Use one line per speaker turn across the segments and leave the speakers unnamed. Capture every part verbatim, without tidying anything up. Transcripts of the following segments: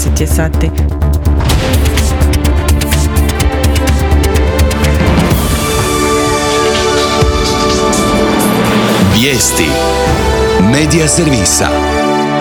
deset je sati.
Vijesti Medija servisa.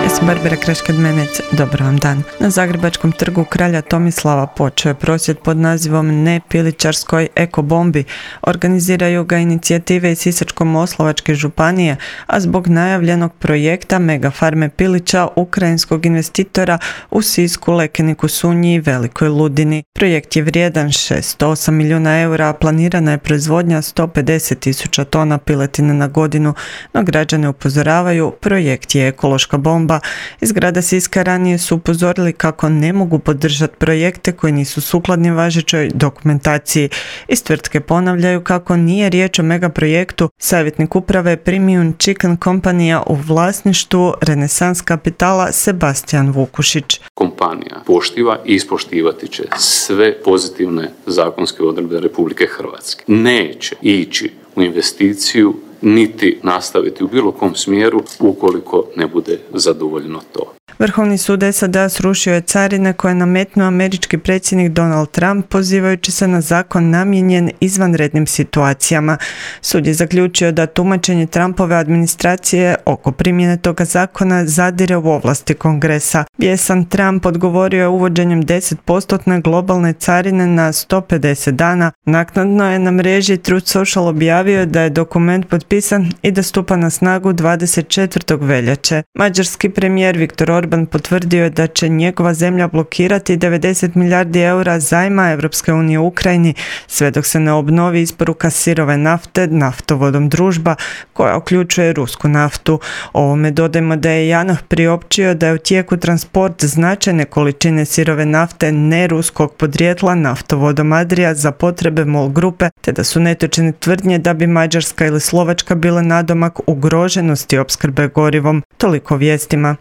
Ja sam Barbara Kraškad-Menec, dobar vam dan. Na Zagrebačkom trgu Kralja Tomislava počeo je prosvjed pod nazivom Ne pilićarskoj ekobombi. Organiziraju ga inicijative iz Sisačko-moslavačke županije, a zbog najavljenog projekta megafarme pilića ukrajinskog investitora u Sisku, Lekeniku, Sunji i Velikoj Ludini. Projekt je vrijedan šezsto osam milijuna eura, a planirana je proizvodnja sto pedeset tisuća tona piletine na godinu, no građane upozoravaju, projekt je ekološka bomba. Iz grada Siska ranije su upozorili kako ne mogu podržati projekte koji nisu sukladni važećoj dokumentaciji. Iz tvrtke ponavljaju kako nije riječ o megaprojektu. Savjetnik uprave Premium Chicken Kompanija u vlasništvu Renesans Kapitala Sebastian Vukušić.
Kompanija poštiva i ispoštivati će sve pozitivne zakonske odredbe Republike Hrvatske. Neće ići u investiciju niti nastaviti u bilo kom smjeru ukoliko ne bude zadovoljno to.
Vrhovni sud S A D srušio je carine koje je nametnuo američki predsjednik Donald Trump pozivajući se na zakon namijenjen izvanrednim situacijama. Sud je zaključio da tumačenje Trumpove administracije oko primjene toga zakona zadire u ovlasti Kongresa. Bijesan Trump odgovorio je uvođenjem deset posto globalne carine na sto pedeset dana. Naknadno je na mreži Truth Social objavio da je dokument potpisan i da stupa na snagu dvadeset četvrtog veljače. Mađarski premijer Viktor Orban potvrdio je da će njegova zemlja blokirati devedeset milijardi eura zajma Europske unije u Ukrajini sve dok se ne obnovi isporuka sirove nafte naftovodom Družba koja uključuje rusku naftu. Ovome dodajmo da je JANAF priopćio da je u tijeku transport značajne količine sirove nafte neruskog podrijetla naftovodom Adria za potrebe MOL grupe, te da su netočne tvrdnje da bi Mađarska ili Slovačka bile nadomak ugroženosti opskrbe gorivom. Toliko vijestima.